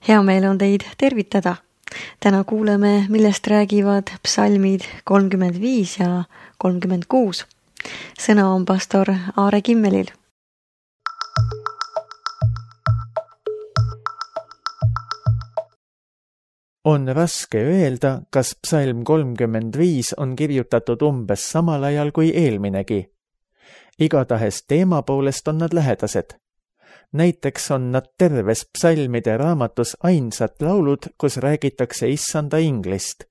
Hea meel on teid tervitada. Täna kuuleme, millest räägivad psalmid 35 ja 36. Sõna on pastor Aare Kimmelil. On raske öelda, kas psalm 35 on kirjutatud umbes samal ajal kui eelminegi. Igatahes teema poolest on nad lähedased. Näiteks on nad terves psalmide raamatus ainsad laulud, kus räägitakse issanda inglist.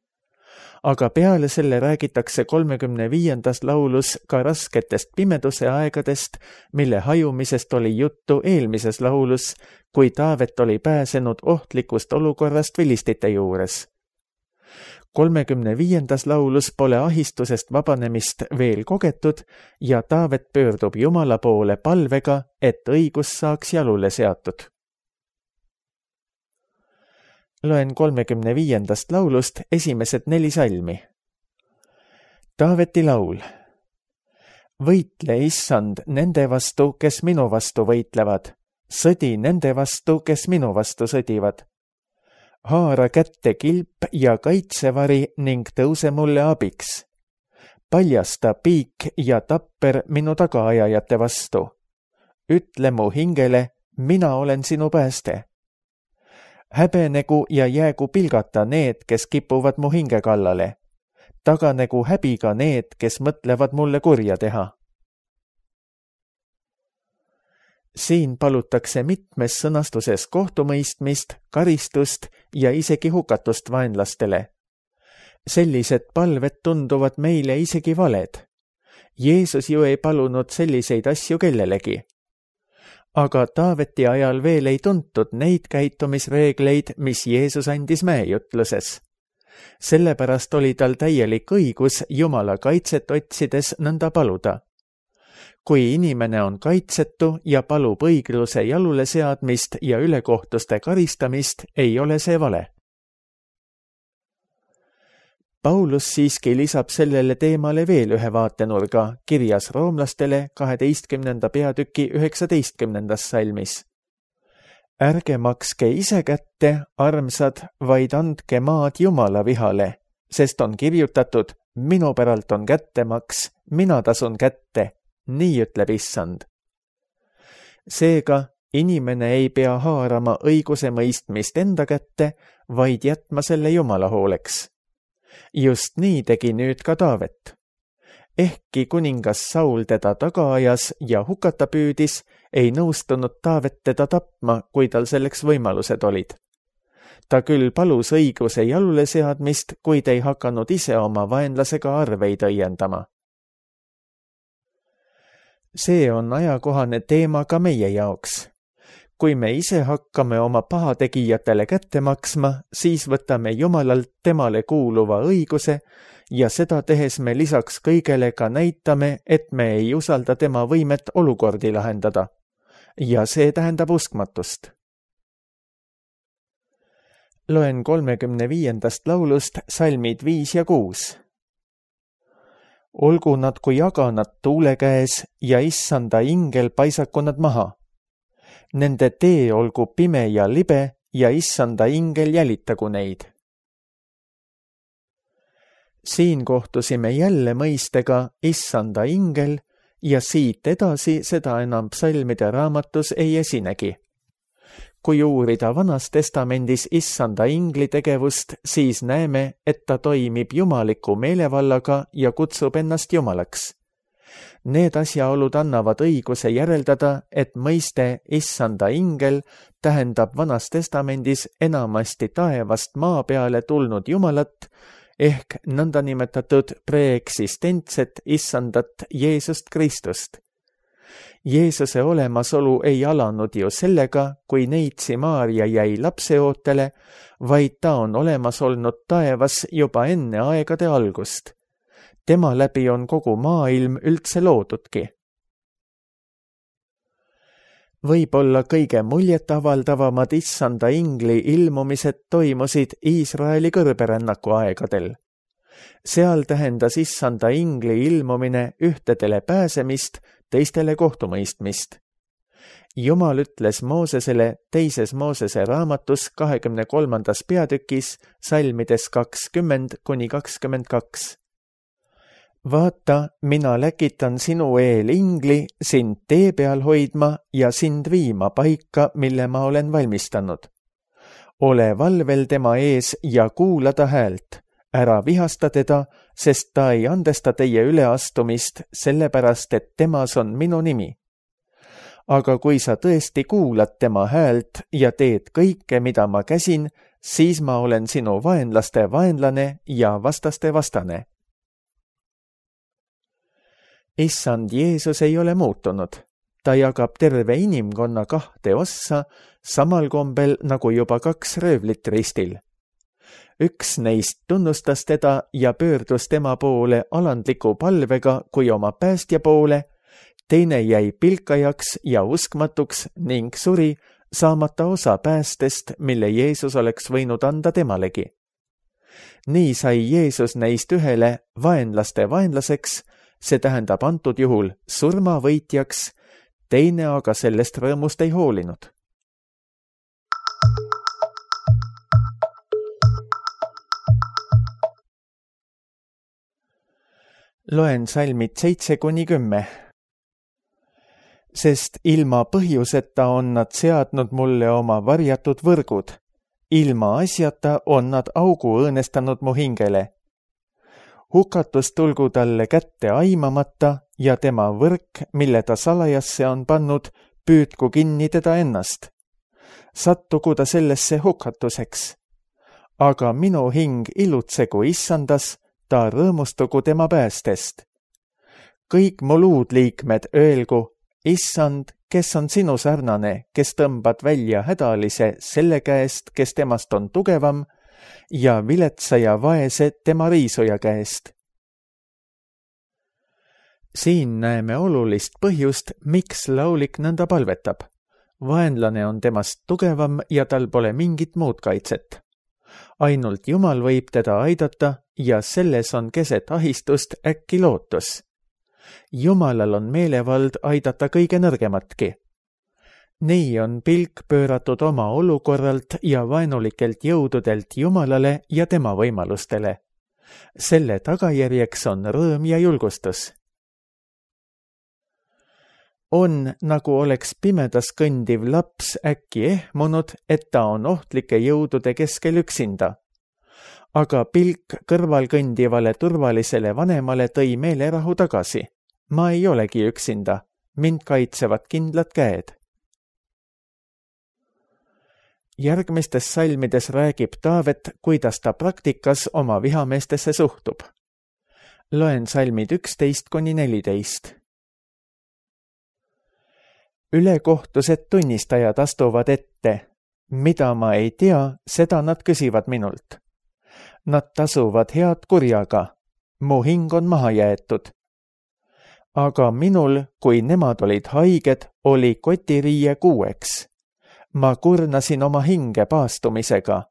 Aga peale selle räägitakse 35. laulus ka rasketest pimeduse aegadest, mille hajumisest oli juttu eelmises laulus, kui Taavet oli pääsenud ohtlikust olukorrast vilistite juures. 35. laulus pole ahistusest vabanemist veel kogetud ja Taavet pöördub Jumala poole palvega, et õigus saaks jalule seatud. Loen 35. laulust esimesed 4 salmi. Taaveti laul. Võitle, issand, nende vastu, kes minu vastu võitlevad. Sõdi nende vastu, kes minu vastu sõdivad. Haara kätte kilp ja kaitsevari ning tõuse mulle abiks. Paljasta piik ja tapper minu tagaajajate vastu. Ütle mu hingele, mina olen sinu pääste. Häbenegu ja jäägu pilgata need, kes kipuvad mu hinge kallale. Taganegu häbiga need, kes mõtlevad mulle kurja teha. Siin palutakse mitmes sõnastuses kohtumõistmist, karistust ja isegi hukatust vaenlastele. Sellised palved tunduvad meile isegi valed. Jeesus ju ei palunud selliseid asju kellelegi. Aga Taaveti ajal veel ei tuntud neid käitumisreegleid, mis Jeesus andis mäejutluses. Sellepärast oli tal täielik õigus Jumala kaitset otsides nõnda paluda. Kui inimene on kaitsetu ja palub õigluse jalule seadmist ja ülekohtuste karistamist, ei ole see vale. Paulus siiski lisab sellele teemale veel ühe vaatenurga kirjas roomlastele 12. peatüki 19. salmis. Ärge makske ise kätte, armsad, vaid andke maad Jumala vihale, sest on kirjutatud, minu päralt on kättemaks, mina tasun kätte. Nii ütleb issand. Seega, inimene ei pea haarama õiguse mõistmist enda kätte, vaid jätma selle Jumala hooleks. Just nii tegi nüüd ka Taavet. Ehkki kuningas Saul teda taga ajas ja hukata püüdis, ei nõustunud Taavet teda tapma, kui tal selleks võimalused olid. Ta küll palus õiguse jalule seadmist, kuid ei hakanud ise oma vaenlasega arveid õiendama. See on ajakohane teema ka meie jaoks. Kui me ise hakkame oma pahategijatele kätte maksma, siis võtame Jumalalt temale kuuluva õiguse ja seda tehes me lisaks kõigele ka näitame, et me ei usalda tema võimet olukordi lahendada. Ja see tähendab uskmatust. Loen 35. laulust salmid 5 ja 6. Olgu nad kui jaganad tuule käes ja issanda ingel paisaku nad maha. Nende tee olgu pime ja libe ja issanda ingel jälitagu neid. Siin kohtusime jälle mõistega issanda ingel ja siit edasi seda enam psalmide raamatus ei esinegi. Kui uurida Vanas Testamendis issanda ingli tegevust, siis näeme, et ta toimib jumaliku meelevallaga ja kutsub ennast jumalaks. Need asjaolud annavad õiguse järeldada, et mõiste issanda ingel tähendab Vanas Testamendis enamasti taevast maa peale tulnud Jumalat ehk nõndanimetatud preeksistentset issandat Jeesust Kristust. Jeesuse olemasolu ei alanud ju sellega, kui neitsi Maarja jäi lapseootele, vaid ta on olemas olnud taevas juba enne aegade algust. Tema läbi on kogu maailm üldse loodudki. Võib-olla kõige muljetavaldavamad issanda ingli ilmumised toimusid Iisraeli kõrberännaku aegadel. Seal tähendas issanda ingli ilmumine ühtedele pääsemist, teistele kohtumõistmist. Jumal ütles Moosesele teises Moosese raamatus 23. peatükis salmides 20–22. Vaata, mina läkitan sinu eel ingli sind tee peal hoidma ja sind viima paika, mille ma olen valmistanud. Ole valvel tema ees ja kuula ta häält. Ära vihasta teda, sest ta ei andesta teie üleastumist, sellepärast et temas on minu nimi. Aga kui sa tõesti kuulad tema häält ja teed kõike, mida ma käsin, siis ma olen sinu vaenlaste vaenlane ja vastaste vastane. Issand Jeesus ei ole muutunud. Ta jagab terve inimkonna 2 ossa, samal kombel nagu juba 2 röövlit ristil. Üks neist tunnustas teda ja pöördus tema poole alandliku palvega kui oma päästja poole, teine jäi pilkajaks ja uskmatuks ning suri, saamata osa päästest, mille Jeesus oleks võinud anda temalegi. Nii sai Jeesus neist ühele vaenlaste vaenlaseks, see tähendab antud juhul surmavõitjaks, teine aga sellest rõõmust ei hoolinud. Loen salmid 7–10. Sest ilma põhjuseta on nad seadnud mulle oma varjatud võrgud. Ilma asjata on nad augu õõnestanud mu hingele. Hukatus tulgu talle kätte aimamata ja tema võrk, mille ta salajasse on pannud, püüdku kinni teda ennast. Sattugu ta sellesse hukatuseks. Aga minu hing ilutsegu issandas, ta rõõmustugu tema päästest. Kõik mu luudliikmed öelgu, issand, kes on sinu sarnane, kes tõmbad välja hädalise selle käest, kes temast on tugevam, ja viletsa ja vaese tema riisuja käest. Siin näeme olulist põhjust, miks laulik nõnda palvetab. Vaenlane on temast tugevam ja tal pole mingit muud kaitset. Ainult Jumal võib teda aidata ja selles on keset ahistust äkki lootus. Jumalal on meelevald aidata kõige nõrgematki. Nii on pilk pööratud oma olukorralt ja vaenulikelt jõududelt Jumalale ja tema võimalustele. Selle tagajärjeks on rõõm ja julgustus. On, nagu oleks pimedas kõndiv laps äkki ehmunud, et ta on ohtlike jõudude keskel üksinda. Aga pilk kõrval kõndivale turvalisele vanemale tõi meelerahu tagasi. Ma ei olegi üksinda, mind kaitsevad kindlad käed. Järgmistes salmides räägib Taavet, kuidas ta praktikas oma vihameestesse suhtub. Loen salmid 11–14. Ülekohtused tunnistajad astuvad ette. Mida ma ei tea, seda nad küsivad minult. Nad tasuvad head kurjaga. Mu hing on maha jäetud. Aga minul, kui nemad olid haiged, oli kotiriie 6. Ma kurnasin oma hinge paastumisega.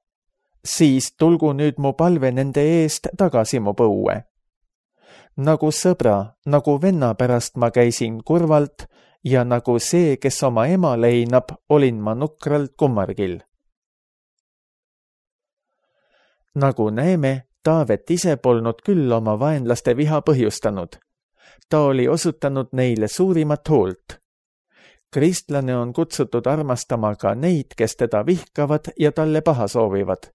Siis tulgu nüüd mu palve nende eest tagasi mu põue. Nagu sõbra, nagu venna pärast ma käisin kurvalt ja nagu see, kes oma ema leinab, olin ma nukralt kummargil. Nagu näeme, Taavet ise polnud küll oma vaenlaste viha põhjustanud. Ta oli osutanud neile suurimat hoolt. Kristlane on kutsutud armastama ka neid, kes teda vihkavad ja talle paha soovivad.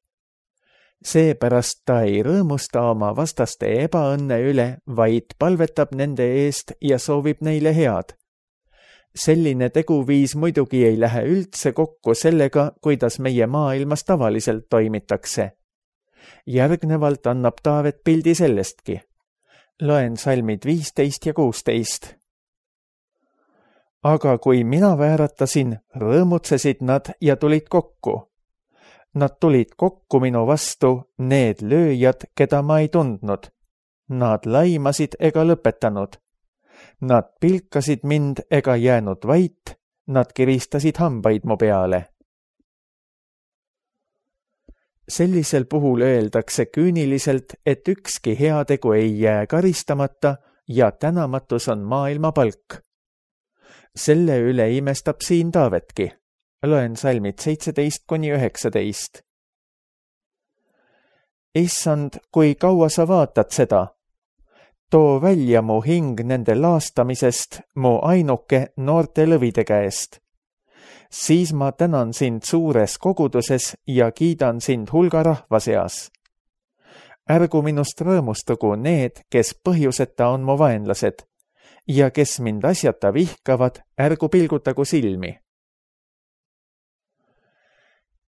Seepärast ta ei rõõmusta oma vastaste ebaõnne üle, vaid palvetab nende eest ja soovib neile head. Selline teguviis muidugi ei lähe üldse kokku sellega, kuidas meie maailmas tavaliselt toimitakse. Järgnevalt annab Taavet pildi sellestki. Loen salmid 15 ja 16. Aga kui mina vääratasin, rõõmutsesid nad ja tulid kokku. Nad tulid kokku minu vastu, need lööjad, keda ma ei tundnud. Nad laimasid ega lõpetanud. Nad pilkasid mind ega jäänud vait, nad kiristasid hambaid mu peale. Sellisel puhul öeldakse küüniliselt, et ükski heategu ei jää karistamata ja tänamatus on maailma palk. Selle üle imestab siin Taavetki. Loen salmid 17-19. Issand, kui kaua sa vaatad seda? Too välja mu hing nende laastamisest, mu ainuke noorte lõvide käest. Siis ma tänan sind suures koguduses ja kiidan sind hulga rahva seas. Ärgu minust rõõmustugu need, kes põhjuseta on mu vaenlased, ja kes mind asjata vihkavad, ärgu pilgutagu silmi.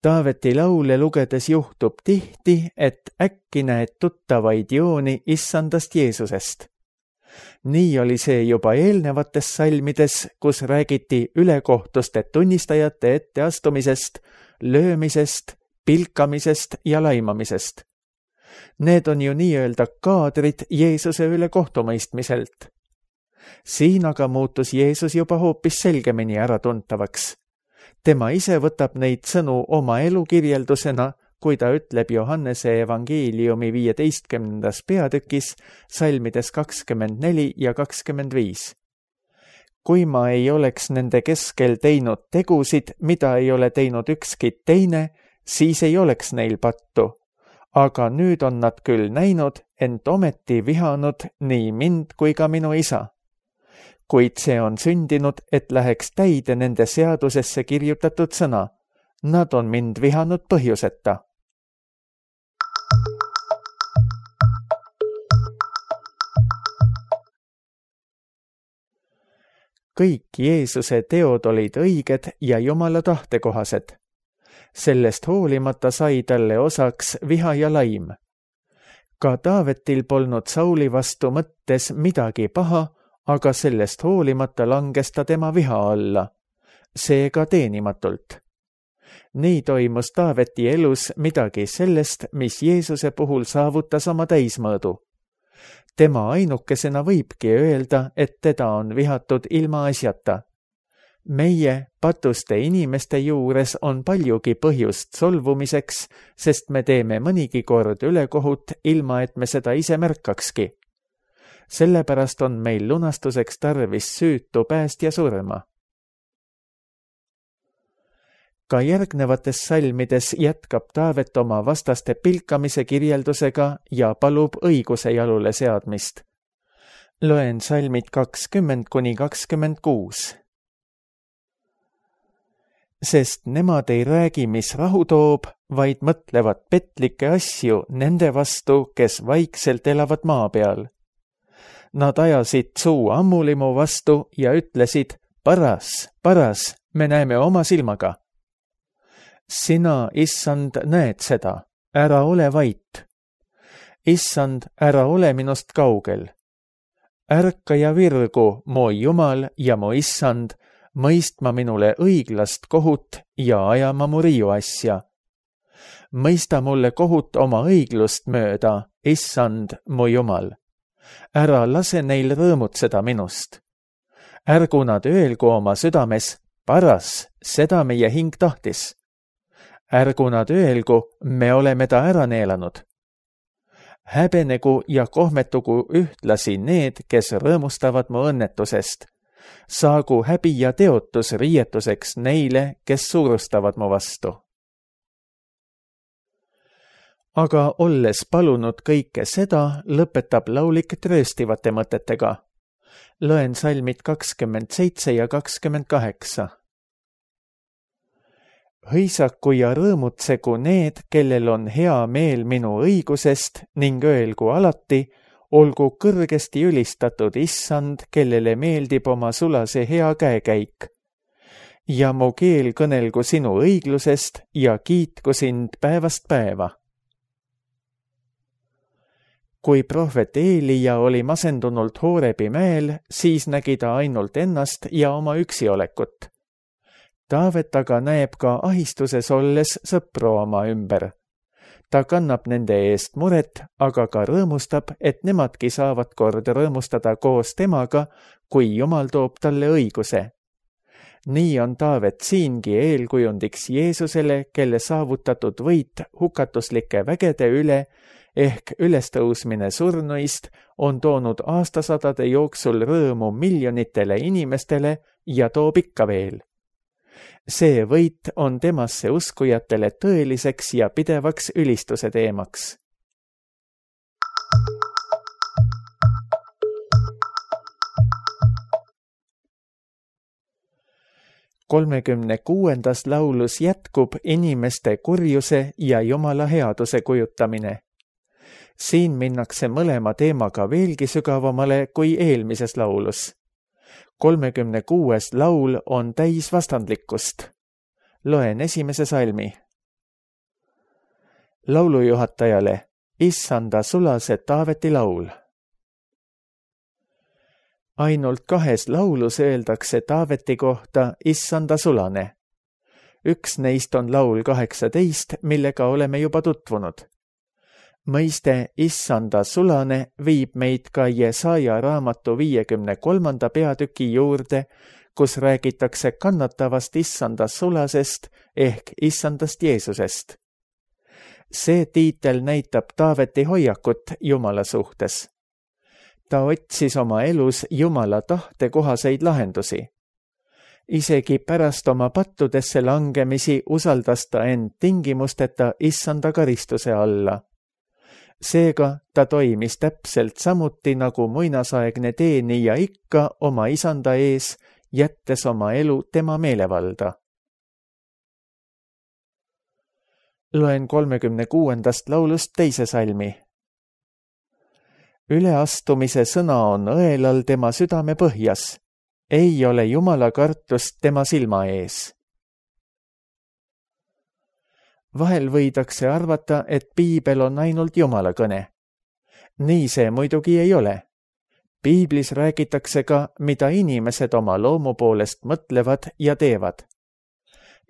Taaveti laule lugedes juhtub tihti, et äkki näed tuttavaid jooni issandast Jeesusest. Nii oli see juba eelnevates salmides, kus räägiti ülekohtuste tunnistajate etteastumisest, löömisest, pilkamisest ja laimamisest. Need on ju nii-öelda kaadrid Jeesuse üle kohtumõistmiselt. Siin aga muutus Jeesus juba hoopis selgemini äratuntavaks. Tema ise võtab neid sõnu oma elukirjeldusena, kui ta ütleb Johannese evangeeliumi 15. peatükis salmides 24 ja 25. Kui ma ei oleks nende keskel teinud tegusid, mida ei ole teinud ükski teine, siis ei oleks neil pattu. Aga nüüd on nad küll näinud, ent ometi vihanud nii mind kui ka minu isa. Kuid see on sündinud, et läheks täide nende seadusesse kirjutatud sõna. Nad on mind vihanud põhjuseta. Kõik Jeesuse teod olid õiged ja Jumala tahtekohased. Sellest hoolimata sai talle osaks viha ja laim. Ka Taavetil polnud Sauli vastu mõttes midagi paha, aga sellest hoolimata langes ta tema viha alla, seega teenimatult. Nii toimus Taaveti elus midagi sellest, mis Jeesuse puhul saavutas oma täismõõdu. Tema ainukesena võibki öelda, et teda on vihatud ilma asjata. Meie, patuste inimeste juures on paljugi põhjust solvumiseks, sest me teeme mõnigi kord ülekohut, ilma et me seda ise märkakski. Sellepärast on meil lunastuseks tarvis süütu päästja surma. Ka järgnevates salmides jätkab Taavet oma vastaste pilkamise kirjeldusega ja palub õiguse jalule seadmist. Loen salmid 20-26. Sest nemad ei räägi, mis rahu toob, vaid mõtlevad petlikke asju nende vastu, kes vaikselt elavad maa peal. Nad ajasid suu ammulimu vastu ja ütlesid, paras, me näeme oma silmaga. Sina, issand, näed seda, ära ole vait. Issand, ära ole minust kaugel. Ärka ja virgu, mu Jumal ja mu issand, mõistma minule õiglast kohut ja ajama mu riiu asja. Mõista mulle kohut oma õiglust mööda, issand, mu Jumal. Ära lase neil rõõmutseda minust. Ärgu nad öelgu oma südames, paras, seda meie hing tahtis. Ärgu nad öelgu, me oleme ta ära neelanud. Häbenegu ja kohmetugu ühtlasi need, kes rõõmustavad mu õnnetusest. Saagu häbi ja teotus riietuseks neile, kes suurustavad mu vastu. Aga olles palunud kõike seda, lõpetab laulik trööstivate mõtetega. Loen salmid 27 ja 28. Hõisaku ja rõõmutsegu need, kellel on hea meel minu õigusest ning öelgu alati, olgu kõrgesti ülistatud issand, kellele meeldib oma sulase hea käekäik. Ja mu keel kõnelgu sinu õiglusest ja kiitku sind päevast päeva. Kui prohvet Eelija oli masendunult Hoorebi mäel, siis nägi ta ainult ennast ja oma üksiolekut. Taavet aga näeb ka ahistuses olles sõpru oma ümber. Ta kannab nende eest muret, aga ka rõõmustab, et nemadki saavad kord rõõmustada koos temaga, kui Jumal toob talle õiguse. Nii on Taavet siingi eelkujundiks Jeesusele, kelle saavutatud võit hukatuslike vägede üle ehk ülestõusmine surnuist on toonud aastasadade jooksul rõõmu miljonitele inimestele ja toob ikka veel. See võit on temasse uskujatele tõeliseks ja pidevaks ülistuse teemaks. Kolmekümne kuuendas laulus jätkub inimeste kurjuse ja Jumala headuse kujutamine. Siin minnakse mõlema teemaga veelgi sügavamale kui eelmises laulus. 36. laul on täis vastandlikkust. Loen esimese salmi. Laulujuhatajale Issanda sulase Taaveti laul. Ainult 2 laulus öeldakse Taaveti kohta Issanda sulane. Üks neist on laul 18, millega oleme juba tutvunud. Mõiste Issanda sulane viib meid ka Jesaja raamatu 53. peatüki juurde, kus räägitakse kannatavast Issanda sulasest ehk Issandast Jeesusest. See tiitel näitab Taaveti hoiakut Jumala suhtes. Ta otsis oma elus Jumala tahte kohaseid lahendusi. Isegi pärast oma pattudesse langemisi usaldas ta end tingimusteta Issanda karistuse alla. Seega ta toimis täpselt samuti nagu muinasaegne teenija ikka oma isanda ees, jättes oma elu tema meelevalda. Loen 36. laulust teise salmi. Üleastumise sõna on õelal tema südame põhjas. Ei ole Jumala kartust tema silma ees. Vahel võidakse arvata, et piibel on ainult Jumala kõne. Nii see muidugi ei ole. Piiblis räägitakse ka, mida inimesed oma loomu poolest mõtlevad ja teevad.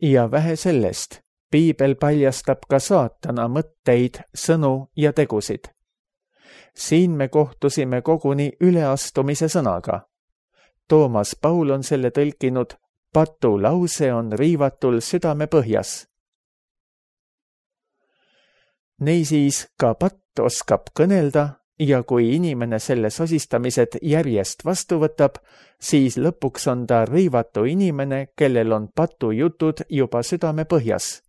Ja vähe sellest, piibel paljastab ka saatana mõtteid, sõnu ja tegusid. Siin me kohtusime koguni üleastumise sõnaga. Toomas Paul on selle tõlkinud, patu lause on riivatul südame põhjas. Niisiis ka patt oskab kõnelda ja kui inimene selle sosistamised järjest vastu võtab, siis lõpuks on ta riivatu inimene, kellel on patujutud juba südame põhjas.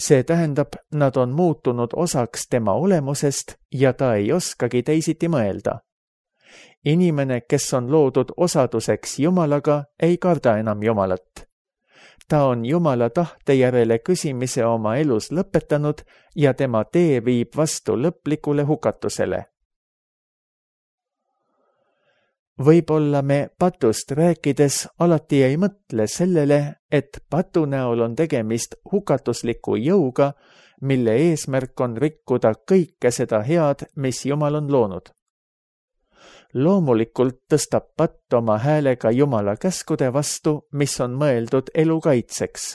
See tähendab, nad on muutunud osaks tema olemusest ja ta ei oskagi teisiti mõelda. Inimene, kes on loodud osaduseks Jumalaga, ei karda enam Jumalat. Ta on Jumala tahte järele küsimise oma elus lõpetanud ja tema tee viib vastu lõplikule hukatusele. Võib-olla me patust rääkides alati ei mõtle sellele, et patu näol on tegemist hukatusliku jõuga, mille eesmärk on rikkuda kõike seda head, mis Jumal on loonud. Loomulikult tõstab patt oma häälega Jumala käskude vastu, mis on mõeldud elu kaitseks.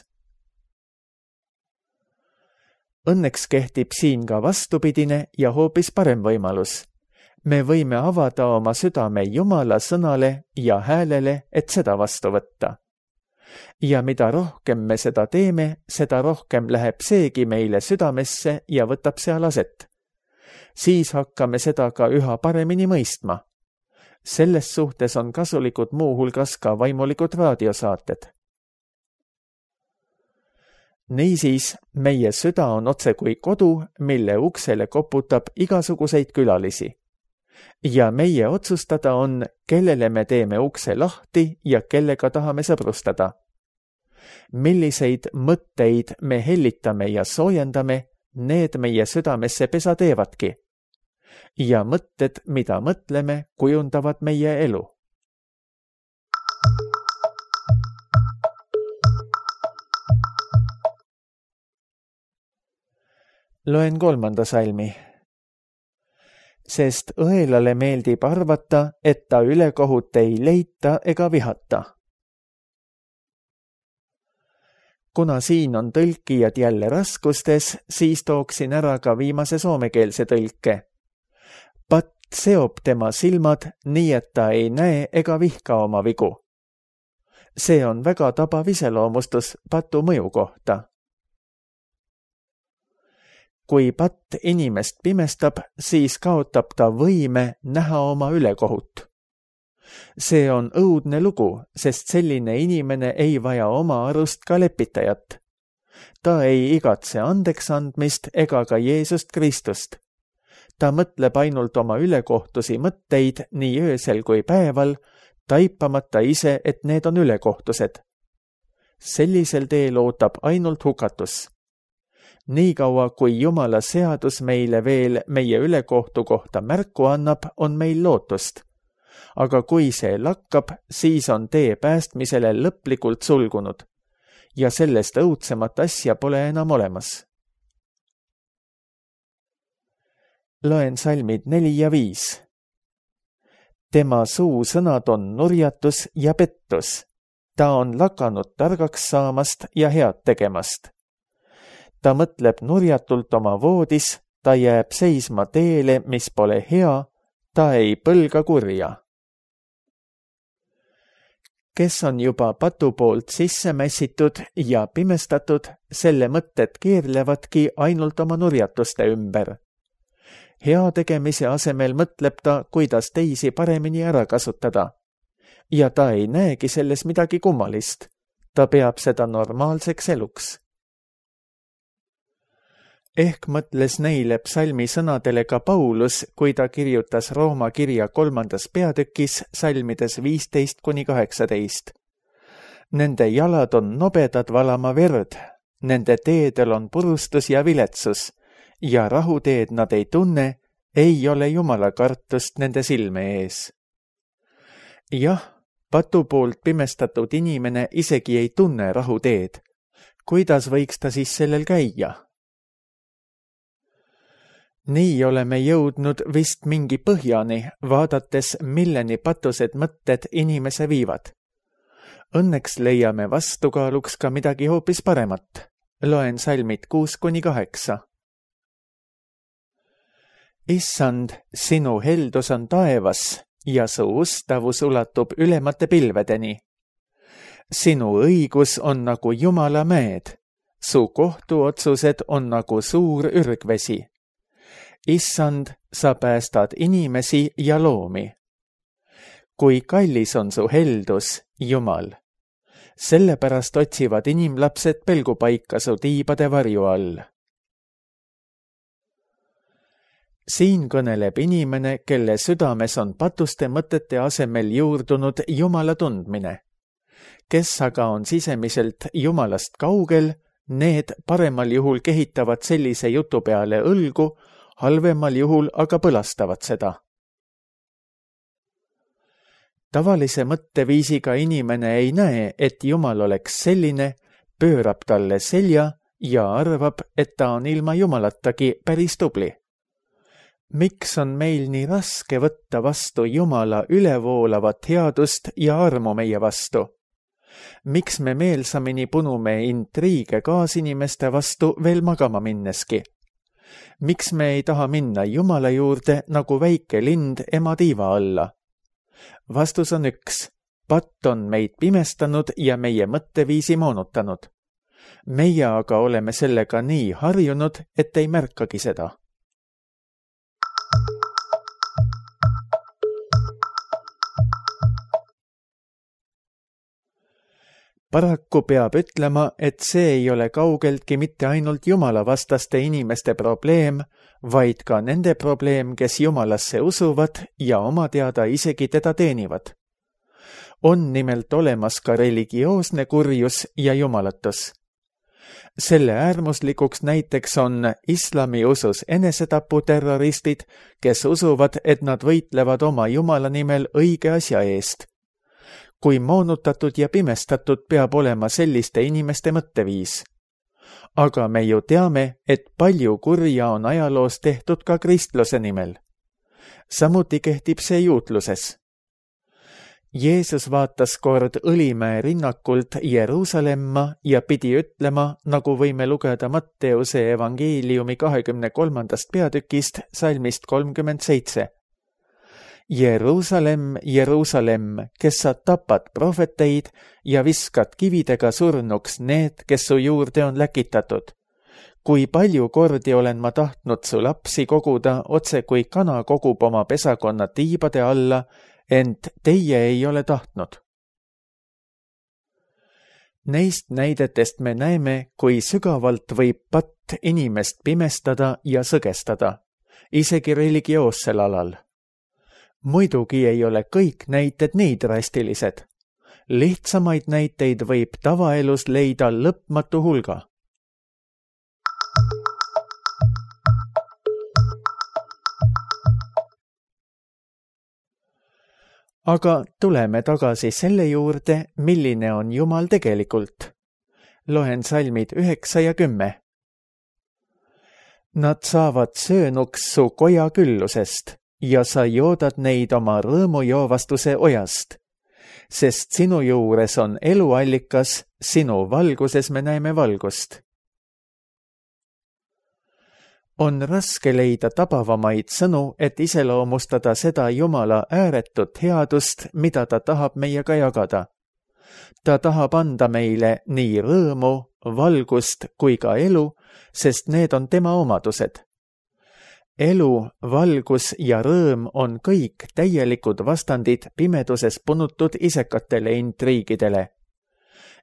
Õnneks kehtib siin ka vastupidine ja hoopis parem võimalus. Me võime avada oma südame Jumala sõnale ja häälele, et seda vastu võtta. Ja mida rohkem me seda teeme, seda rohkem läheb seegi meile südamesse ja võtab seal aset. Siis hakkame seda ka üha paremini mõistma. Selles suhtes on kasulikud muuhulgas ka vaimulikud raadiosaated. Niisiis, meie süda on otse kui kodu, mille uksele koputab igasuguseid külalisi. Ja meie otsustada on, kellele me teeme ukse lahti ja kellega tahame sõbrustada. Milliseid mõtteid me hellitame ja soojendame, need meie südamesse pesa teevadki. Ja mõtted, mida mõtleme, kujundavad meie elu. Loen 3. salmi. Sest õelale meeldib arvata, et ta ülekohut ei leita ega vihata. Kuna siin on tõlkijad jälle raskustes, siis tooksin ära ka viimase soomekeelse tõlke. Patt seob tema silmad, nii et ta ei näe ega vihka oma vigu. See on väga tabav iseloomustus patu mõju kohta. kui patt inimest pimestab, siis kaotab ta võime näha oma ülekohut. See on õudne lugu, sest selline inimene ei vaja oma arust ka lepitajat. Ta ei igatse andeks andmist ega ka Jeesust Kristust. Ta mõtleb ainult oma ülekohtusi mõtteid nii öösel kui päeval, taipamata ise, et need on ülekohtused. Sellisel teel ootab ainult hukatus. Niikaua, kui Jumala seadus meile veel meie ülekohtu kohta märku annab, on meil lootust. Aga kui see lakkab, siis on tee päästmisele lõplikult sulgunud ja sellest õudsemat asja pole enam olemas. Loen salmid 4 ja 5. Tema suusõnad on nurjatus ja pettus. Ta on lakanud targaks saamast ja head tegemast. Ta mõtleb nurjatult oma voodis, ta jääb seisma teele, mis pole hea, ta ei põlga kurja. Kes on juba patu poolt sisse mässitud ja pimestatud, selle mõtted keerlevadki ainult oma nurjatuste ümber. Hea tegemise asemel mõtleb ta, kuidas teisi paremini ära kasutada. Ja ta ei näegi selles midagi kummalist. Ta peab seda normaalseks eluks. Ehk mõtles neile psalmi sõnadele ka Paulus, kui ta kirjutas Rooma kirja 3. peatükis salmides 15-18. Nende jalad on nobedad valama verd, nende teedel on purustus ja viletsus, ja rahuteed nad ei tunne, ei ole Jumala kartust nende silme ees. Jah, patu poolt pimestatud inimene isegi ei tunne rahuteed. Kuidas võiks ta siis sellel käia? Nii oleme jõudnud vist mingi põhjani, vaadates, milleni patused mõtted inimese viivad. Õnneks leiame vastukaaluks ka midagi hoopis paremat. Loen salmid 6-8. Issand, sinu heldus on taevas ja su ustavus ulatub ülemate pilvedeni. Sinu õigus on nagu Jumala mäed, su kohtuotsused on nagu suur ürgvesi. Issand, sa päästad inimesi ja loomi. Kui kallis on su heldus, Jumal. Sellepärast otsivad inimlapsed pelgupaika su tiibade varju all. Siin kõneleb inimene, kelle südames on patuste mõtete asemel juurdunud Jumala tundmine. Kes aga on sisemiselt Jumalast kaugel, need paremal juhul kehitavad sellise jutu peale õlgu, halvemal juhul aga põlastavad seda. Tavalise mõtteviisiga inimene ei näe, et Jumal oleks selline, pöörab talle selja ja arvab, et ta on ilma Jumalatagi päris tubli. Miks on meil nii raske võtta vastu Jumala ülevoolavat headust ja armu meie vastu? Miks me meelsamini punume intriige kaasinimeste vastu veel magama minneski? Miks me ei taha minna Jumala juurde nagu väike lind ema tiiva alla? Vastus on üks. Patt on meid pimestanud ja meie mõtteviisi moonutanud. Meie aga oleme sellega nii harjunud, et ei märkagi seda. Paraku peab ütlema, et see ei ole kaugeltki mitte ainult Jumala vastaste inimeste probleem, vaid ka nende probleem, kes Jumalasse usuvad ja oma teada isegi teda teenivad. On nimelt olemas ka religioosne kurjus ja jumalatus. Selle äärmuslikuks näiteks on islami usus enesetaputerroristid, kes usuvad, et nad võitlevad oma Jumala nimel õige asja eest. Kui moonutatud ja pimestatud peab olema selliste inimeste mõtteviis. Aga me ju teame, et palju kurja on ajaloos tehtud ka kristluse nimel. Samuti kehtib see juutluses. Jeesus vaatas kord Õlimäe rinnakult Jeruusalemma ja pidi ütlema, nagu võime lugeda Matteuse evangeeliumi 23. peatükist salmist 37. Jeruusalemm, Jeruusalemm, kes sa tapad prohveteid ja viskad kividega surnuks need, kes su juurde on läkitatud. kui palju kordi olen ma tahtnud su lapsi koguda, otse kui kana kogub oma pesakonna tiibade alla, ent teie ei ole tahtnud. Neist näidetest me näeme, kui sügavalt võib patt inimest pimestada ja sõgestada, isegi religioossel alal. Muidugi ei ole kõik näited nii drastilised. Lihtsamaid näiteid võib tavaelus leida lõpmatu hulga. Aga tuleme tagasi selle juurde, milline on Jumal tegelikult. Loen salmid 9 ja 10. Nad saavad söönuks su koja küllusest ja sa joodad neid oma rõõmujoovastuse ojast, sest sinu juures on eluallikas, sinu valguses me näeme valgust. On raske leida tabavamaid sõnu, et iseloomustada seda Jumala ääretut headust, mida ta tahab meiega jagada. Ta tahab anda meile nii rõõmu, valgust kui ka elu, sest need on tema omadused. Elu, valgus ja rõõm on kõik täielikud vastandid pimeduses punutud isekatele intriigidele.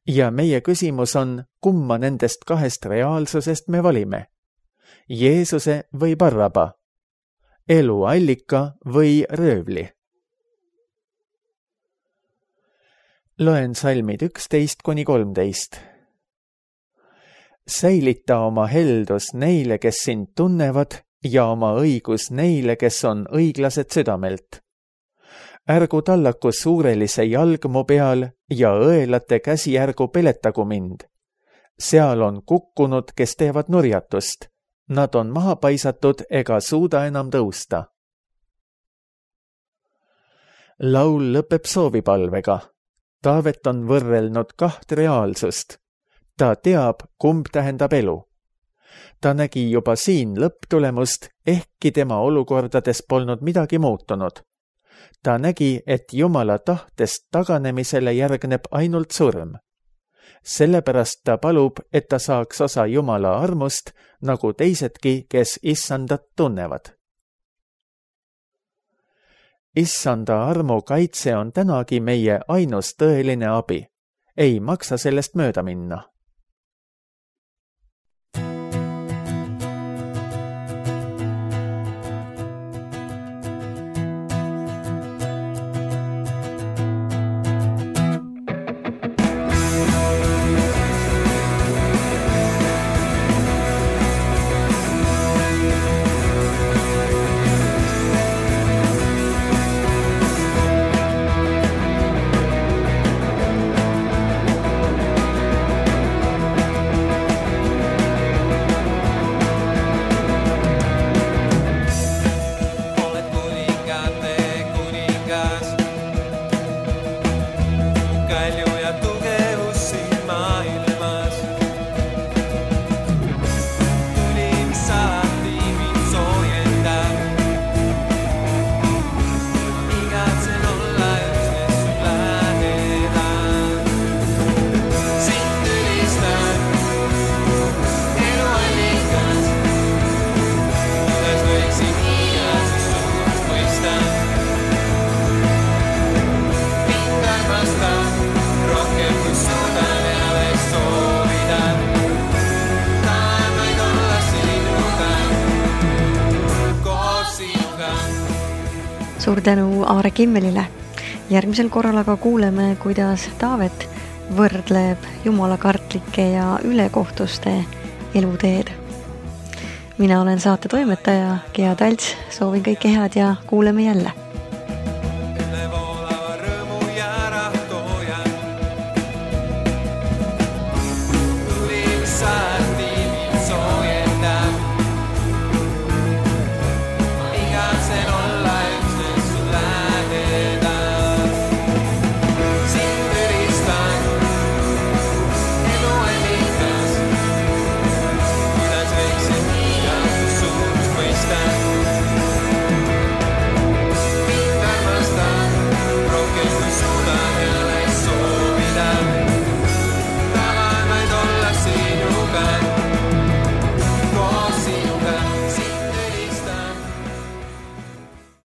Ja meie küsimus on, kumma nendest kahest reaalsusest me valime? Jeesuse või Barraba, eluallika või röövli. Loen salmid 11-13. Säilita oma heldus neile, kes sind tunnevad, ja oma õigus neile, kes on õiglased südamelt. Ärgu tallaku suurelise jalg mu peal ja õelate käsi ärgu peletagu mind. Seal on kukkunud, kes teevad nurjatust. Nad on maha paisatud ega suuda enam tõusta. Laul lõpeb soovipalvega. Taavet on võrrelnud kaht reaalsust. Ta teab, kumb tähendab elu. Ta nägi juba siin lõpptulemust, ehkki tema olukordades polnud midagi muutunud. Ta nägi, et Jumala tahtest taganemisele järgneb ainult surm. Sellepärast ta palub, et ta saaks osa Jumala armust, nagu teisedki, kes issandat tunnevad. Issanda armu kaitse on tänagi meie ainus tõeline abi. Ei maksa sellest mööda minna. Suur tänu Aare Kimmelile. Järgmisel korral aga kuuleme, kuidas Taavet võrdleb jumalakartlike ja ülekohtuste eluteed. Mina olen saate toimetaja Gea Talts, soovin kõike head ja kuuleme jälle.